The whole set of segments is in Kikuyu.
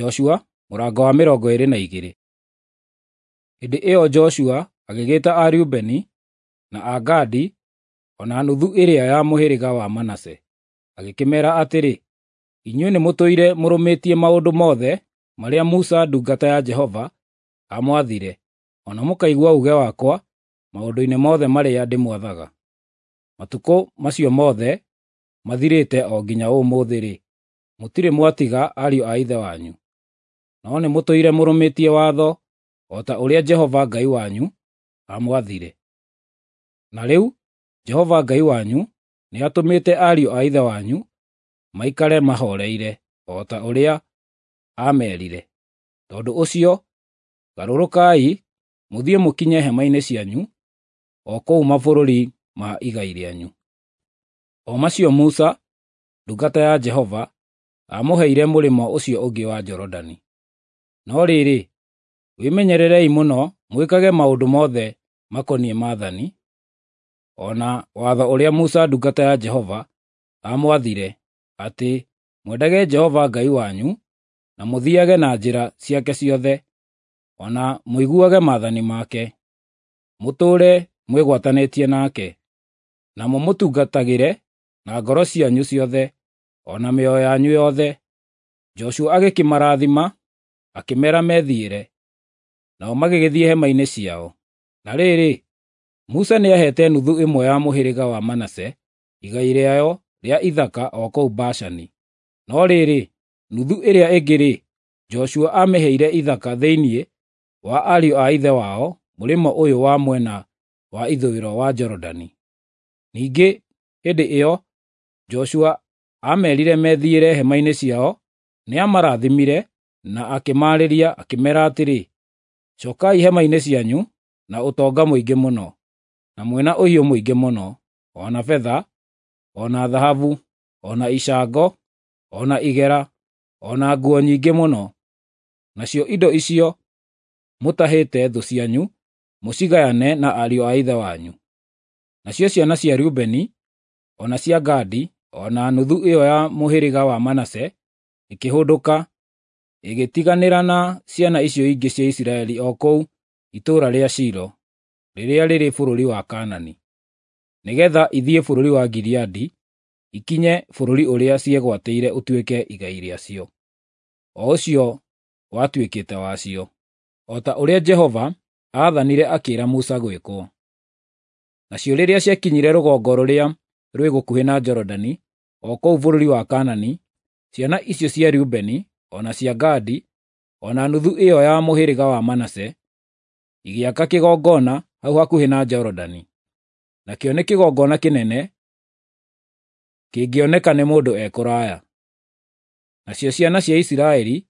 Joshua mũrango wa 22. Hĩndĩ ĩyo Joshua agĩgĩta Areubeni, na Agadi, o na nuthu ĩrĩa ya mũhĩrĩga wa Manase, agĩkĩmeera atĩrĩ, “Inyuĩ nĩmũtũire mũrũmĩtie maũndũ mothe marĩa Musa ndungata ya Jehova aamwathire, o na mũkaigua uuge wakwa maũndũ-inĩ mothe marĩa ndĩmwathaga. Matukũ macio mothe mathirĩte o nginya ũmũthĩ-rĩ, mũtirĩ mwatiga ariũ a ithe wanyu, no nĩmũtũire mũrũmĩtie watho o ta ũrĩa Jehova Ngai wanyu aamwathire. Na rĩu Jehova Ngai wanyu nĩatũmĩte ariũ a ithe wanyu maikare mahooreire, o ta ũrĩa aamerire. Tondũ ũcio, garũrũkai mũthiĩ mũkinye hema-inĩ cianyu o kũu mabũrũri ma igai rĩanyu, o macio Musa ndungata ya Jehova aamũheire mũrĩmo ũcio ũngĩ wa Jorodani. No rĩrĩ, wĩmenyererei mũno mwĩkage maũndũ mothe makoniĩ maathani, o na watho ũrĩa Musa ndungata ya Jehova aamwathire, atĩ mwendage Jehova Ngai wanyu, na mũthiage na njĩra ciake ciothe, o na mũiguage maathani make, mũtũũre mwĩgwatanĩtie nake, na mũmũtungatagĩre na ngoro cianyu ciothe, o na mĩoyo yanyu yothe.” Joshua agĩkĩmarathima, akĩmeera methiĩre, nao magĩgĩthiĩ hema-inĩ ciao. Na rĩrĩ, Musa nĩaheete nuthu ĩmwe ya mũhĩrĩga wa Manase igai rĩayo rĩa ithaka o kũu Bashani. No rĩrĩ, nuthu ĩrĩa ĩngĩ-rĩ, Joshua aamĩheire ithaka thĩinĩ wa ariũ a ithe wao mũrĩmo ũyũ wa mwena wa ithũĩro wa Jorodani. Ningĩ hĩndĩ ĩyo Joshua aamerire methiĩre hema-inĩ ciao, nĩamarathimire na akĩmaarĩria akĩmeera atĩrĩ, “Cookai hema-inĩ cianyu na ũtonga mũingĩ mũno, na mwĩna ũhiũ mũingĩ mũno, o na betha, o na thahabu, o na icango, o na igera, o na nguo nyingĩ mũno. Nacio indo icio mũtahĩte thũ cianyu mũcigayane na ariũ a ithe wanyu.” Nacio ciana cia Rubeni, o na cia Gadi, o na nuthu ĩyo ya mũhĩrĩga wa Manase ikĩhũndũka, ĩgĩtiganĩra na ciana icio ingĩ cia Isiraeli o kũu itũũra rĩa Shilo, rĩrĩa rĩrĩ bũrũri wa Kaanani, nĩgeetha ithiĩ bũrũri wa Gileadi, ikinye bũrũri ũrĩa ciegwatĩire ũtuĩke igai rĩacio, o ũcio watuĩkĩte wacio, o ta ũrĩa Jehova aathanire akĩĩra Musa gwĩkwo. Nacio rĩrĩa ciakinyire rũgongo rũrĩa rwĩ gũkuhĩ na Jorodani, o kũu bũrũri wa Kaanani, ciana icio cia Rubeni, o na cia Gadi, o na nuthu ĩyo ya mũhĩrĩga wa Manase, igĩaka kĩgongona hau hakuhĩ na Jorodani. Nakĩo nĩ kĩgongona kĩnene, kĩngĩoneka nĩ mũndũ e kũraya. Nacio ciana cia Isiraeli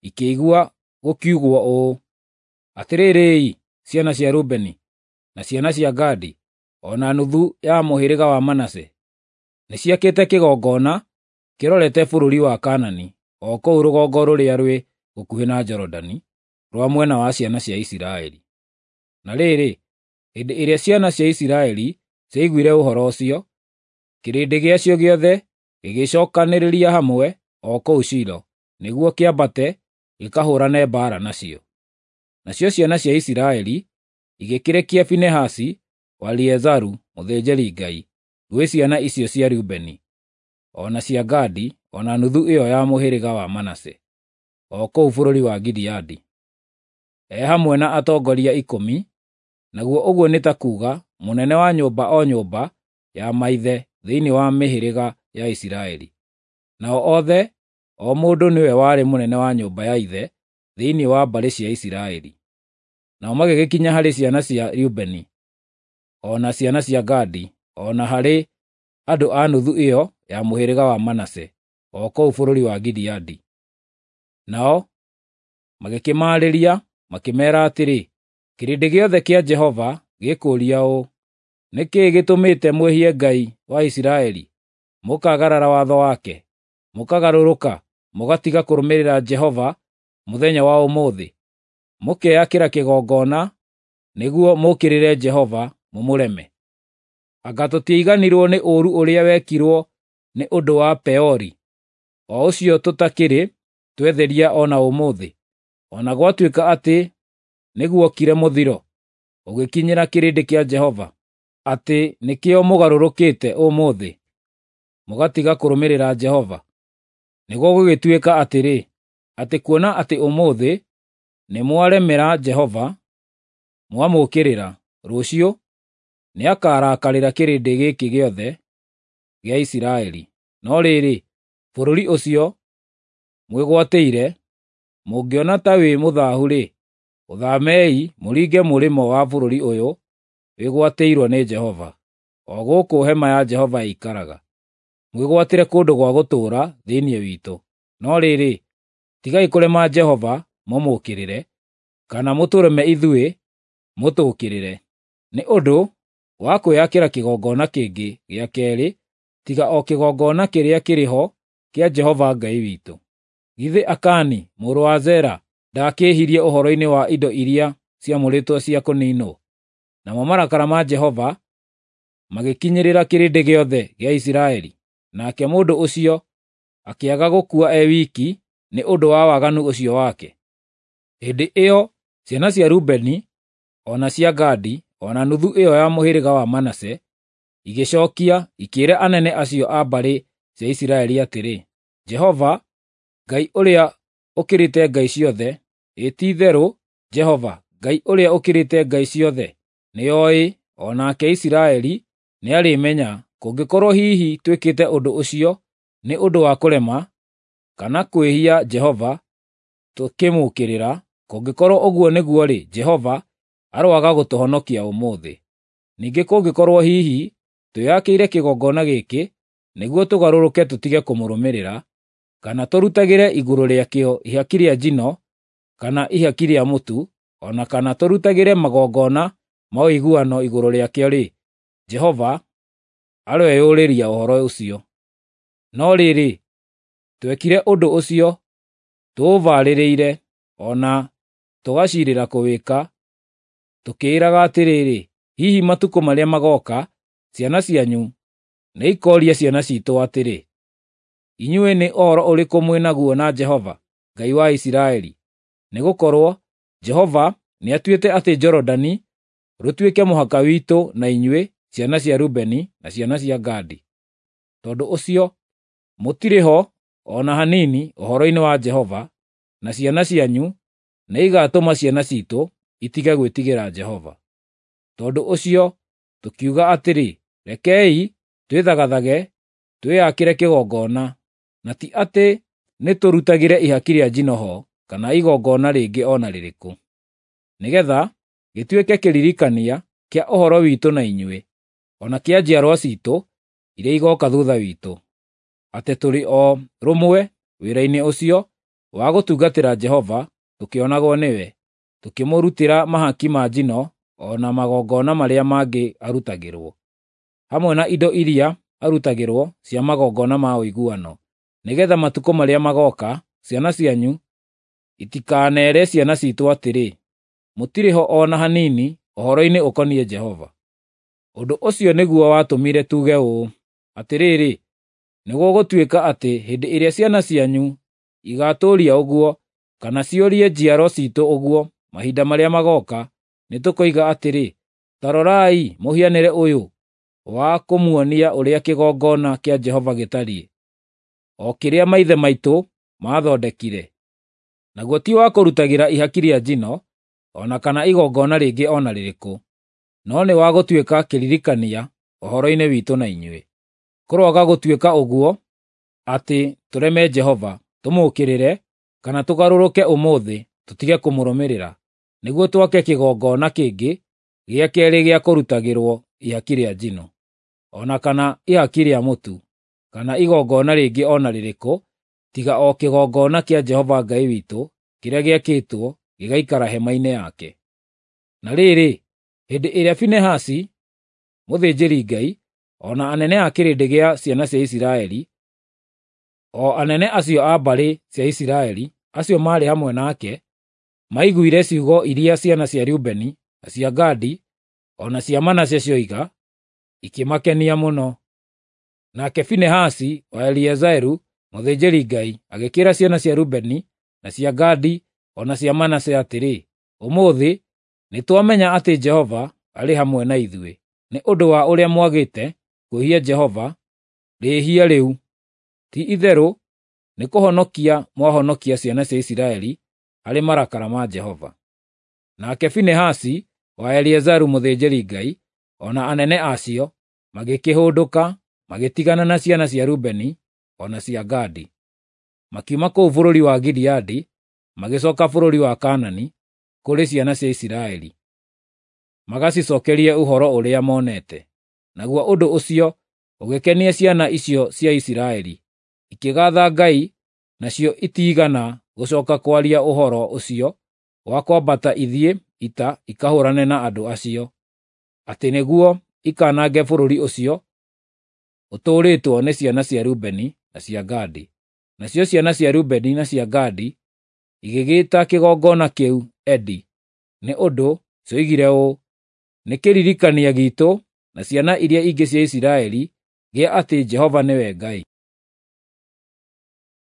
ikĩigua gũkiugwo ũũ, “Atĩrĩrĩ-i, ciana cia Rubeni, na ciana cia Gadi, o na nuthu ya mũhĩrĩga wa Manase, nĩciakĩte kĩgongona kĩrorete bũrũri wa Kaanani, o kũu rũgongo rũrĩa rwĩ gũkuhĩ na Jorodani, rwa mwena wa ciana cia Isiraeli.” Na rĩrĩ, hĩndĩ ĩrĩa ciana cia Isiraeli ciaiguire ũhoro ũcio, kĩrĩndĩ gĩacio gĩothe gĩgĩcookanĩrĩria hamwe o kũu Shilo, nĩguo kĩambate gĩkahũũrane mbaara nacio. Nacio ciana cia Isiraeli igĩkĩrekia Finehasi wa Eleazaru mũthĩnjĩri-Ngai gwĩ ciana icio cia Rubeni, o na cia Gadi, o na nuthu ĩyo ya mũhĩrĩga wa Manase, o kũu bũrũri wa Gileadi, e hamwe na atongoria 10, naguo ũguo nĩ ta kuuga mũnene wa nyũmba o nyũmba ya maithe thĩinĩ wa mĩhĩrĩga ya Isiraeli. Nao othe, o mũndũ nĩwe warĩ mũnene wa nyũmba ya ithe thĩinĩ wa mbarĩ cia Isiraeli. Nao magĩgĩkinya harĩ ciana cia Rubeni, o na ciana cia Gadi, o na harĩ andũ a nuthu ĩyo ya mũhĩrĩga wa Manase, o kũu bũrũri wa Gileadi. Nao magĩkĩmaarĩria makĩmeera atĩrĩ, “Kĩrĩndĩ gĩothe kĩa Jehova gĩkũũria ũũ, 'Nĩ kĩĩ gĩtũmĩte mwĩhie Ngai wa Isiraeli, mũkaagarara watho wake, mũkagarũrũka mũgatiga kũrũmĩrĩra Jehova mũthenya wa ũmũthĩ, mũkeyakĩra kĩgongona nĩguo mũũkĩrĩre Jehova mũmũreme? Anga tũtiaiganirwo nĩ ũũru ũrĩa wekirwo nĩ ũndũ wa Peori, o ũcio tũtakĩrĩ twetheria o na ũmũthĩ, o na gwatuĩka atĩ nĩguokire mũthiro ũgĩkinyĩra kĩrĩndĩ kĩa Jehova, atĩ nĩkĩo mũgarũrũkĩte ũmũthĩ, mũgatiga kũrũmĩrĩra Jehova? Nĩguo gũgĩtuĩka atĩrĩ, atĩ kuona atĩ ũmũthĩ nĩmwaremera Jehova, mwamũũkĩrĩra, rũciũ nĩakarakarĩra kĩrĩndĩ gĩkĩ gĩothe gĩa Isiraeli. No rĩrĩ, bũrũri ũcio mwĩgwatĩire, mũngĩona ta wĩ mũthaahu-rĩ, ũthaamei mũringe mũrĩmo wa bũrũri ũyũ wĩgwatĩirwo nĩ Jehova, o gũkũ hema ya Jehova ĩikaraga, mwĩgwatĩre kũndũ gwa gũtũũra thĩinĩ witũ. No rĩrĩ, tigai kũrema Jehova mũmũũkĩrĩre, kana mũtũreme ithuĩ mũtũũkĩrĩre, nĩ ũndũ wa kwĩakĩra kĩgongona kĩngĩ gĩa keerĩ tiga o kĩgongona kĩrĩa kĩrĩ ho kĩa Jehova Ngai witũ. Githĩ Akani mũrũ wa Zera ndaakĩĩhirie ũhoro-inĩ wa indo iria ciamũrĩtwo cia kũniinwo? Namo marakara ma Jehova magĩkinyĩrĩra kĩrĩndĩ gĩothe gĩa Isiraeli, nake mũndũ ũcio akĩaga gũkua e wiki nĩ ũndũ wa waganu ũcio wake. Hĩndĩ ĩyo ciana cia Rubeni, o na cia Gadi, o na nuthu ĩyo ya mũhĩrĩga wa Manase igĩcookia ikĩĩra anene acio a mbarĩ cia Isiraeli atĩrĩ, Jehova, Ngai ũrĩa ũkĩrĩte ngai ciothe, ĩ ti-itherũ Jehova, Ngai ũrĩa ũkĩrĩte ngai ciothe, nĩoĩ, o nake Isiraeli nĩarĩmenya, kũngĩkorwo hihi twĩkĩte ũndũ ũcio nĩ ũndũ wa kũrema, kana kwĩhia Jehova tũkĩmũũkĩrĩra, kũngĩkorwo ũguo nĩguo-rĩ, Jehova aroaga gũtũhonokia ũmũthĩ. Ningĩ kũngĩkorwo hihi twĩakĩire kĩgongona gĩkĩ nĩguo tũgarũrũke tũtige kũmũrũmĩrĩra, kana tũrutagĩre igũrũ rĩakĩo ihaki rĩa njino kana ihaki rĩa mũtu, o na kana tũrutagĩre magongona ma ũiguano igũrũ rĩakĩo-rĩ, Jehova aroeyũrĩria ũhoro ũcio. No rĩrĩ, twekire ũndũ ũcio tũũbarĩrĩire o na tũgaciirĩra kũwĩka, tũkĩĩraga atĩrĩrĩ, hihi matukũ marĩa magooka ciana cianyu nĩikooria ciana ciitũ atĩrĩ, inyuĩ nĩ ũhoro ũrĩkũ mwĩ naguo na Jehova, Ngai wa Isiraeli? Nĩgũkorwo Jehova nĩatuĩte atĩ Jorodani rũtuĩke mũhaka witũ na inyuĩ, ciana cia Rubeni na ciana cia Gadi. Tondũ ũcio mũtirĩ ho o na hanini ũhoro-inĩ wa Jehova, na ciana cianyu nĩigatũma ciana ciitũ itige gwĩtigĩra Jehova. Tondũ ũcio tũkiuga atĩrĩ, rekei twĩthagathage twĩakĩre kĩgongona, na ti atĩ nĩtũrutagĩre ihaki rĩa njino ho kana igongona rĩngĩ o na rĩrĩkũ, nĩgeetha gĩtuĩke kĩririkania kĩa ũhoro witũ na inyuĩ, o na kĩa njiarwa ciitũ iria igooka thuutha witũ, atĩ tũrĩ o rũmwe wĩra-inĩ ũcio wa gũtungatĩra Jehova tũkĩonagwo nĩwe, tũkĩmũrutĩra mahaki ma njino o na magongona marĩa mangĩ arutagĩrwo, hamwe na indo iria arutagĩrwo cia magongona ma ũiguano, nĩgeetha matukũ marĩa magooka ciana cianyu itikaneere ciana ciitũ atĩrĩ, mũtirĩ ho o na hanini ũhoro-inĩ ũkoniĩ Jehova. Ũndũ ũcio nĩguo watũmire tuuge ũũ, atĩrĩrĩ, nĩgũgũtuĩka atĩ hĩndĩ ĩrĩa ciana cianyu igaatũũria ũguo, kana ciũrie njiaro ciitũ ũguo mahinda marĩa magooka, nĩtũkoiga atĩrĩ, ta rorai mũhianĩre ũyũ wa kũmuonia ũrĩa kĩgongona kĩa Jehova gĩtariĩ, o kĩrĩa maithe maitũ maathondekire. Naguo ti wa kũrutagĩra ihaki rĩa njino, o na kana igongona rĩngĩ o na rĩrĩkũ, no nĩ wa gũtuĩka kĩririkania ũhoro-inĩ witũ na inyuĩ. Kũroaga gũtuĩka ũguo atĩ tũreme Jehova, tũmũũkĩrĩre, kana tũgarũrũke ũmũthĩ tũtige kũmũrũmĩrĩra, nĩguo twake kĩgongona kĩngĩ gĩa keerĩ gĩa kũrutagĩrwo ihaki rĩa njino, o na kana ihaki rĩa mũtu, kana igongona rĩngĩ o na rĩrĩkũ, tiga o kĩgongona kĩa Jehova Ngai witũ kĩrĩa gĩakĩtwo gĩgaikara hema-inĩ yake. Na rĩrĩ, hĩndĩ ĩrĩa Finehasi mũthĩnjĩri-Ngai, o na anene a kĩrĩndĩ gĩa ciana cia Isiraeli, o anene acio a mbarĩ cia Isiraeli, acio maarĩ hamwe nake, maiguire ciugo iria ciana cia Rubeni, na cia Gadi, o na cia Manase cioiga, ikĩmakenia mũno. Nake Finehasi wa Eliazaru mũthĩnjĩri-Ngai agĩkĩĩra ciana cia Rubeni na cia Gadi, o na cia Manase atĩrĩ, “Ũmũthĩ nĩtwamenya atĩ Jehova arĩ hamwe na ithuĩ, nĩ ũndũ wa ũrĩa mwagĩte kwĩhia Jehova rĩĩhia rĩu. Ti-itherũ nĩkũhonokia mwahonokia ciana cia Isiraeli harĩ marakara ma Jehova.” Nake Finehasi wa Eleazaru mũthĩnjĩri-Ngai, o na anene acio, magĩkĩhũndũka magĩtigana na ciana cia Rubeni o na cia Gadi. Makiuma kũu bũrũri wa Gileadi magĩcooka bũrũri wa Kaanani kũrĩ ciana cia Isiraeli, magacicookerie ũhoro ũrĩa monete. Naguo ũndũ ũcio ũgĩkenia ciana icio cia Isiraeli, ikĩgaatha Ngai, nacio itiigana gũcooka kwaria ũhoro ũcio wa kwambata ithiĩ ita ikahũũrane na andũ acio, atĩ nĩguo ikanange bũrũri ũcio ũtũũrĩtwo nĩ ciana cia Rubeni na cia Gadi. Nacio ciana cia Rubeni na cia Gadi igĩgĩĩta kĩgongona kĩu Edi, nĩ ũndũ cioigire ũũ, “Nĩ kĩririkania giitũ na ciana iria ingĩ cia Isiraeli gĩa atĩ Jehova nĩwe Ngai.”